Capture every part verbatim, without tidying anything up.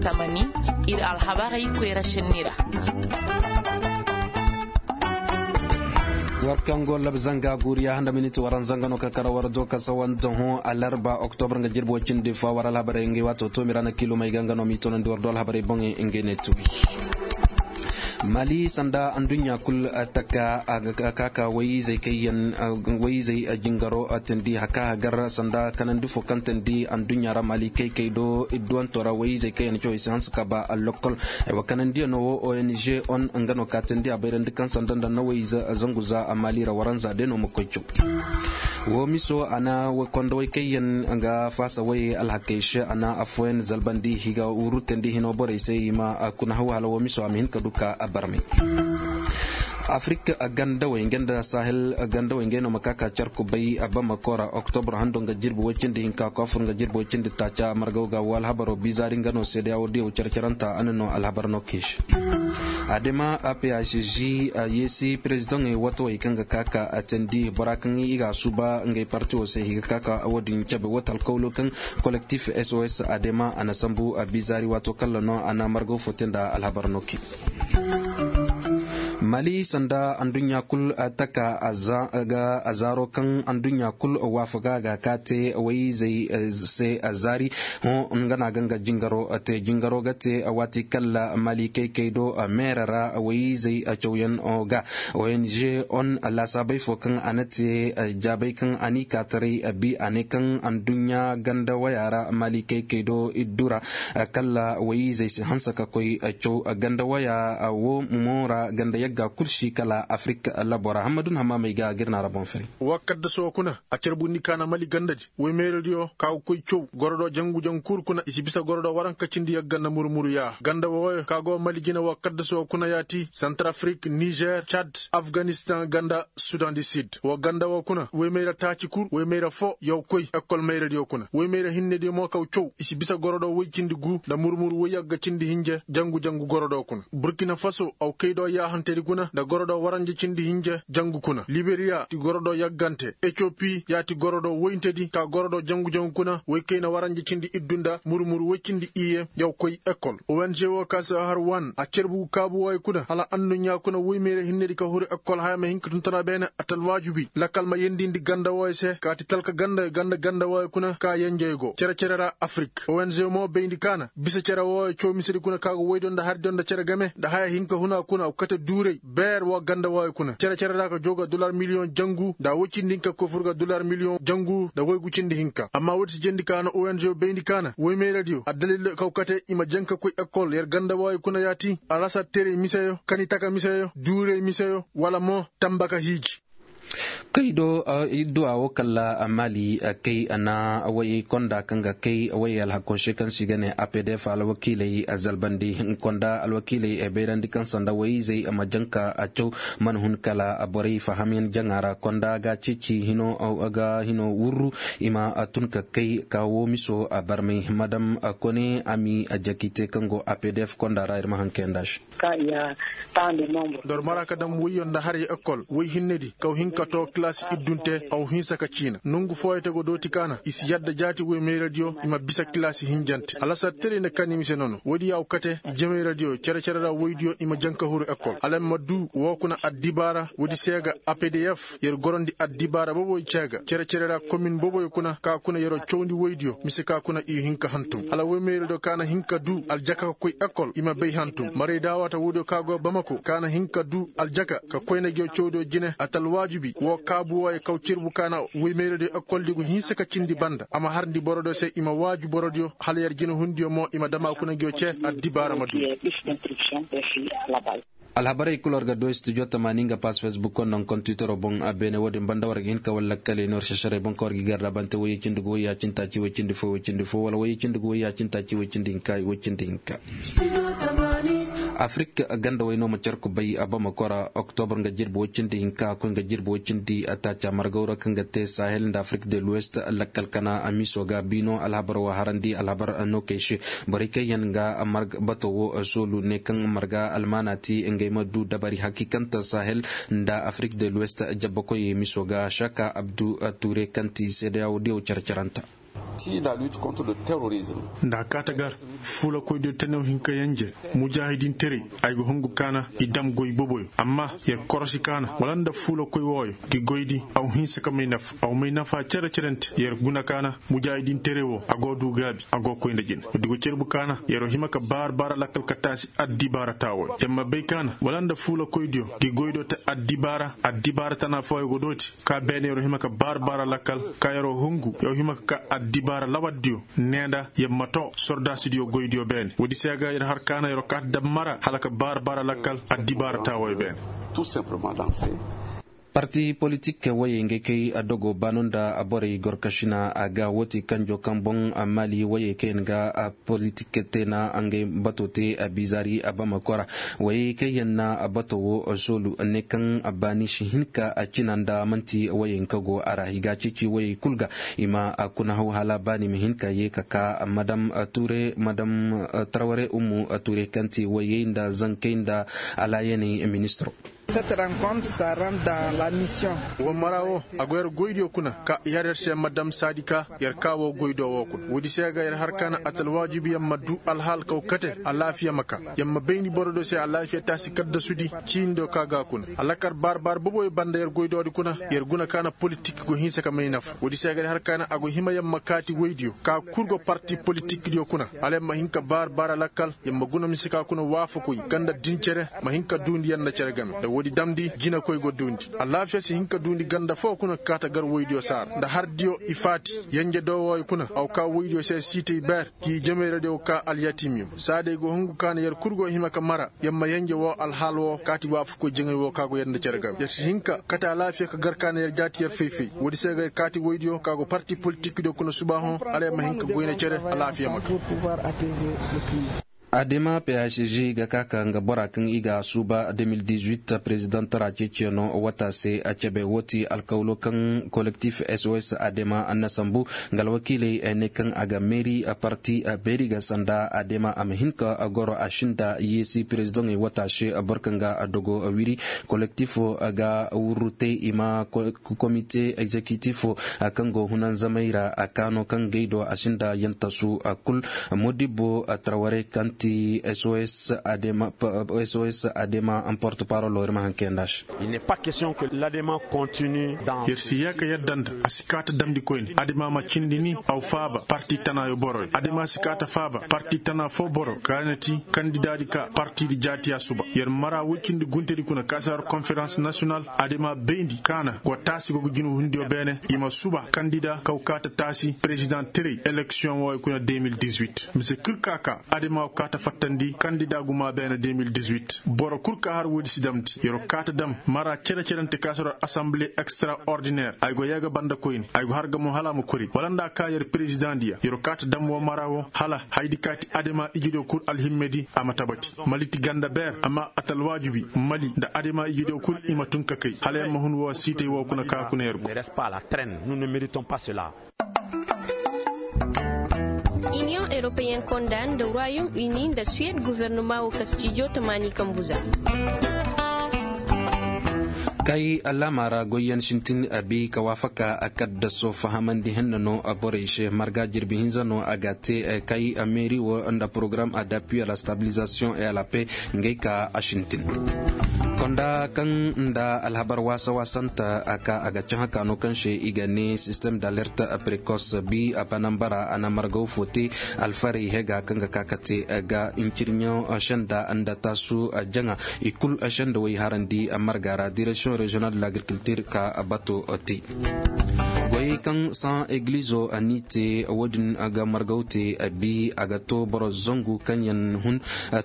Tamani, ir alhabarey koyra senni ra. War kaŋ go lab zanga guuriya handa miniti waranza nga no ka kara war do ka sawa nda hõ alarba oktobra nga jirbi way cindi fa war alhabarey ngey waato toomi ra na kiilumey ga nga no m'i toonandi war do alhabarey boŋey ngey ne tubi. Mali sanda anduɲɲa kul taka a ga ka ka wayizey kaŋ yaŋ wayizey jingaro tindi haka hagar sanda kanandi fo kaŋ tindi anduɲɲa ra mali kaykay do idduwanto ra wayizey kaŋ yaŋ cawey si hanse ka ba allokol. Ay wa kanandiyaŋo wo ong on nga no ka tindi a bayrandi kaŋ sanda nda na wayize zangu za a mali ra waranza day no ma koy caw. Wo miso a na kondowey kaŋ yaŋ ga faasa wayey alhakey se a na afooyaŋ zalbandi higa wurutandi hino borey se i ma kuna haw hala wo miso a ma hin ka du ka a barmay. Afirik gandawey nga nda sahel gandawey ngey no ma ka ka carku bay bamako ra oktobro hando nga jirbi woy cindi hinka koofur nga jirbi woy cindi taaca margaw ga wo alhabaro bizaari nga no seedeya wo diyaw care-caranta a na no alhabar no kay se. Adema aph g yeesi perezidaŋey watowey kaŋ ga ka ka atandi bora kaŋ i ga a suuba ngey parti wo se i ga ka ka wo-din cabe wata alkawlo kaŋ kolektif sos adema a na sambu a bizaari waato kalla no a na margaw fo te nda alhabar no kay. Mali sanda anduɲɲa kul taka a zaaro kaŋ anduɲɲa kul waafaga ga ka te wayizey se zaari. Hõ nga no a ga nga jingaro te jingaro ga te waati kalla mali kaykay do meera ra wayizey cawyaŋ ga ong on laasaabey fo kaŋ a na te jaabey kaŋ a n'i ka taray bi a ne kaŋ anduɲɲa ganda waya ra mali kaykay do iddu ra kalla wayizey si hanse ka koy caw ganda waya wo mo ra ganda yagga kul si kala afirik labo ra hammadun hammaamey ga ga ir na ra boŋ fari. Wa kaddaso kuna a carbundi kaana mali gandadi woy meeradiyo ka ga koy caw gorodo jangu jangu kul kuna i si bisa gorodo waranka cindi yagga nda murmuru yaa ganda wooyo ka go mali jine wa kaddaso kuna yaati santarafrik nizer cad afganistan ganda sudan di sid wa ganda woo kuna woy meera taaci kul woy meera foo yaw koy ekkol meeradiyo kuna woy meera hinnediyo mo kaw caw i si bisa gorodo woy cindi guu nda murmuru woy yagga cindi hinje jangu jangu gorodo kuna burkina faso aw kay do yaahantedi kuna nda gorodo waranja cindi hinja jangu kuna liberiya ti gorodo yaggante etiyopi ya ti gorodo woyntedi ka gorodo jangu jangu kuna woy kayna waranja cindi iddu nda murmuru woy cindi iye yaw koy ekol ong wo ka si har wan a cerbu kaabu wooyo kuna hala anduɲɲa kuna woy meere hinnedi ka huru ekol haya ma hin ka tun tana beene a talwaajubi lakkal ma yendindi ganda wooyo se ka ti talka ganda ganda ganda wooyo kuna ka yenjey go cere cere ra afirik ong mo bayndi kaana bisa cere wooyo coomisedi kuna ka go woydo nda hardiyo nda cere game nda haya hinka huna kuna kate duuray beer wa ganda wooyo kuna cere cere ra ka joo ga dollar miliyoŋ jangu nda woy cindi hinka kofur ga dollar miliyoŋ jangu nda woy gu cindi hinka amma woodi si jendi kaana ong bayndi kaana woy meeradiyo addalil kaw kate i ma jaŋ ka koy ekol yer ganda wooyo kuna yaati alasar teray miseyo kani taka miseyo duuray miseyo wala mo tamba ka hiiji. Kay do idduwa wo kalla mali kay na way konda kaŋ ga kay way alhakko se kaŋ se i ga ne apdf alwakiiley zalbandi konda alwakiiley bayrandi kaŋ sanda wayizey ma janka a caw mana hun kala borey fahamyaŋ jaŋa ra konda ga ceeci hino ga hino wurru i ma tun ka kay ka wo miso barmay madam kone ami jakite kaŋ go apdf konda ra ir ma haŋ kayanda se. Nda war mara ka dam woyyo nda haray ekol woy hinnedi kaw hin ka to kilaasi iddunte aw hinsa ka ciina nongu fooyey te go dooti kaana i si yadda jaati woy meeradiyo i ma bisa kilaasi hinjante alasar tere nda kani mise nono woodi yaaw kate i jemayradiyo cere-cere ra woydiyo i ma jaŋ ka huru ekol hala ma du woo kuna addibaara woodi seega apdf yer gorondi addibaara boboy ceega cere-cere ra komin boboy kuna ka kuna yeroo cawndi woydiyo mise ka kuna i hin ka hantum hala woy meeradiyo ka na hin ka du aljaka ka koy ekol i ma bay hantum maray daawata woodiyo ka go bamako ka na hin ka du aljaka ka koyna ngiyo cawdiyo jine a ta alwaajibi woo kaabu wooyo kaw cerbu ka na woy meeradiyo ekoldi gu hinsa ka cindi banda a ma harndi borodiyo se i ma waaju borodiyo hala yer jinehundiyo mo i ma dama kuna ngiyo cee addibaara ma du. Alhabarey kul war ga du studio tamaani nga pass facebook konda nga konda twittero boŋ a beene wo-din banda war ga hin ka walla kala i ne war sesarey boŋ kaŋ war ga i garda bante woyey cindi gu woyey a cindi taaci woy cindi fo woy cindi fo wala woyey cindi gu woyey a cindi taaci woy cindi hinka woy cindi hinka. Afirik ganda way no ma carku bay a bamako ra oktobr nga jirbi woy cindi hinka a koy nga jirbi woy cindi a taaca margaw ra kaŋ ga te sahel nda afirik de luwest lakkal kana a miiso ga biino alhabar wa harandi alhabar no kay se borey kaŋ yaŋ ga marga bato wo soolu ne kaŋ marga almaana ti ngey ma du dabari hakiikanta sahel nda afirik de luwest jabbakoyey miiso ga saka abdu ture kaŋ ti seedeya wo diyaw care-caranta. Nda a kaata gar fuulakoydiyo tenew hin ka yenje mujaahidinteray. Ay ga hungu kaana i dam goy boboyo amma yer korosi kaana wala nda fuulakoy wooyo, gi goydi aw hinsa ka may nafa aw may nafa cere-cerente yer guna kaana. Mujaahidinteray woo a go duu gaabi a go koy nda jina woodi go cerbu kaana yer hima ka baara baara lakkal ka taasi addibaara taawooyo yer ma bay kaana wala nda fuulakoydiyo, gi goydo te addibaara addibaara tana fooyo go dooti. Ka beene yer hima ka baara baara lakkal ka yer hungu yer hima ka ka addibaara lawaddiyo. Ne nda yer ma too sordaasidiyo goydiyo beene woodi se ga yer har kaana yer kaata dam mara hala ka baara baara lakkal addibaara taawooyo beene. Parti politik woyey ngey kay a dogo baano nda borey gorkasina a ga woo ti kanjo kaŋ boŋ maali woyey kaŋ yaŋ ga politik te na ngey bato te a bizaari a bama kora. Woyey kaŋ yaŋ na bato wo soolu ne kaŋ baani si hin ka a cina nda man'ti woyey kaŋ go a ra i ga a ceeci woyey kul ga i ma a kuna haw hala baani ma hin ka yee ka ka madam ture madam tarware ummu ture kaŋ ti woyey nda zankey nda alaayaney ministiro. Woo mara woo a go yer goydiyo kuna ka i har yer se madam saadi ka yer kaa woo goydo woo kuna woodi se ga yer har ka na atalwaajibi yer ma duu alhaal kaw kate alaafiya ma kaa. Yer ma bayndi borodiyo se alaafiya taasi kaddasudi ciinidiyo ka ga kuna alakar baar-baar boboyo banda yer goydoodi kuna. Yer guna ka na politik go hinsa ka may nafa woodi se ga yer har ka na a go hima yer ma kaati woydiyo ka kul go parti politikdiyo kuna hala yer ma hin ka baar-baar alakal. Yer ma guna mise ka kuna waafakoy kaŋ nda din cere ma hin ka duundi yer nda cere game nda woodi damndi jinakoy go duundi alaafiya si hin ka duundi ganda foo kuna ka kaata gar woydiyo saara nda hardiyo i faati. Yenje doowooyo kuna a go kaa woydiyo se siitay beer k'i jameyradiyo go kaa alyatiimiyo saadey go hungu ka na yer kul go hima ka mara yer ma yenje woo alhaal woo kaati waafakoy jaŋay woo ka go yer nda cere game yer si hin ka kate alaafiya ka gar ka na yer jaati yer fay-fay. Woodi se ga yer kaati woydiyo ka go parti politikdiyo kuna subaahoŋ hala yer ma hin ka goyne cere alaafiya ma kaa. Adema phg ga ka ka nga bora kaŋ i ga a suuba deux mille dix-huit président ra ceeciyaŋo wata se a cebe woo ti alkawlo kaŋ kolektif sos adema na sambu. Nga alwakiiley ne kaŋ a ga meeri parti beeri ga sanda adema a ma hin ka goro a sinda yeesi présidentey wata se boro kaŋ ga dogo wiri. Kolektifo ga wurru te i ma komite egzekitifo kaŋ go hunanzamey ra a kaano kaŋ gay do a sinda yantasu kul. Modibbo tarwarey kaŋ ti sos adema porte parolo ir ma haŋ kayanda se. Yer si yee ka yadda nda a si kaata damndi koyne adama ma cindi ni aw faaba parti tanaayo boroyo adama si kaata faaba parti tanaa foo boro kaana ti kandidaadi ka partiidi jaati a suba yer mara woy cindi guntedi kuna ka si har konferans nasiyonal. Adama bayndi kaana go taasi go ga jina hundiyo beene i ma suba kandida kaw kaata taasi perezidaŋ tiray eleksiyoŋ wooyo kuna deux mille dix-huit mise kul ka ka adama go kaata fattandi kandida gumaa beene deux mille dix-huit. Boro kul ka har woodi si damndi yer go kaata dam mara cere-cerante ka si har asanbile ekstraordiner ay go yee ga banda koyne ay go har ga mo hala a ma kori wala nda a ka yer perezidaŋdiya yer go kaata dam woo mara woo hala hayadi ka ti adama ijediyo kul alhimmedi a ma tabati. Maliti ganda beer amma a ta alwaajibi mali nda adama ijediyo kul i ma tun ka kay hala yer ma hun woo siitay woo kuna ka kuna yer go. Iniyoŋ eropeyen konda nda ruwayum ini nda suwed gofornoma woo kastijo tamaani kambuza. Kay alaama ra goyyaŋ sintin a bi ka waafaka a kaddaso fahamandi henna no a borey se marga jirbi hinza no a ga te. Kay meeri wo nda porogaram a d'appui à la stabilization et à la paix ngey ka a sintin. Konda kaŋ nda alhabar waasa-waasanta a ka a ga cahã kaano kaŋ se i ga ne sistem d'alerte précoce bi a banambara a na margaw fo te. Alfarey hega kaŋ ga ka ka te ga incirɲo senda nda taasu jaŋa i kul senda way harandi marga ra direction régionale de l'agriculture ka bato te. Goyey kaŋ san eglizo ni te wo-din ga margaw te bi a ga to boro zangu kaŋ yaŋ hun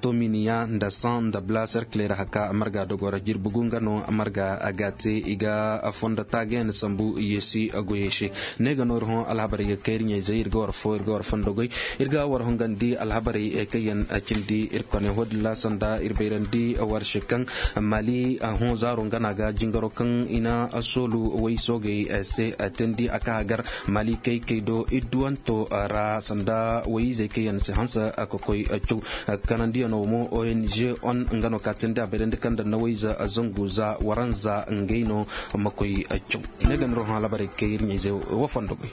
tominiya nda san nda bla serkler haka marga dogora jirbi gu nga no marga a ga te i ga fondo taagayaŋ sambu yeesi goyey se. Ne ga no ir hõ alhabarey ga kay ir ɲayzey ir ga war fo ir ga war fondo goy. Ir ga war hungandi alhabarey kaŋ yaŋ cindi ir kone hodilla sanda ir bayrandi war se kaŋ mali hõ zaaro nga no a ga jingaro kaŋ i na soolu way soogey se teendi a ka hagar mali kay kay do idduwanto ra sanda wayizey kaŋ yaŋ si hanse ka koy caw. Kanandiyano mo ong on nga no ka teendi a bayrandi kaŋ da nawayize zangu za waranza ngey no ma koy caw. Ne ga ni rohõ alhabarey kay ir ɲayzey wo fondo goy.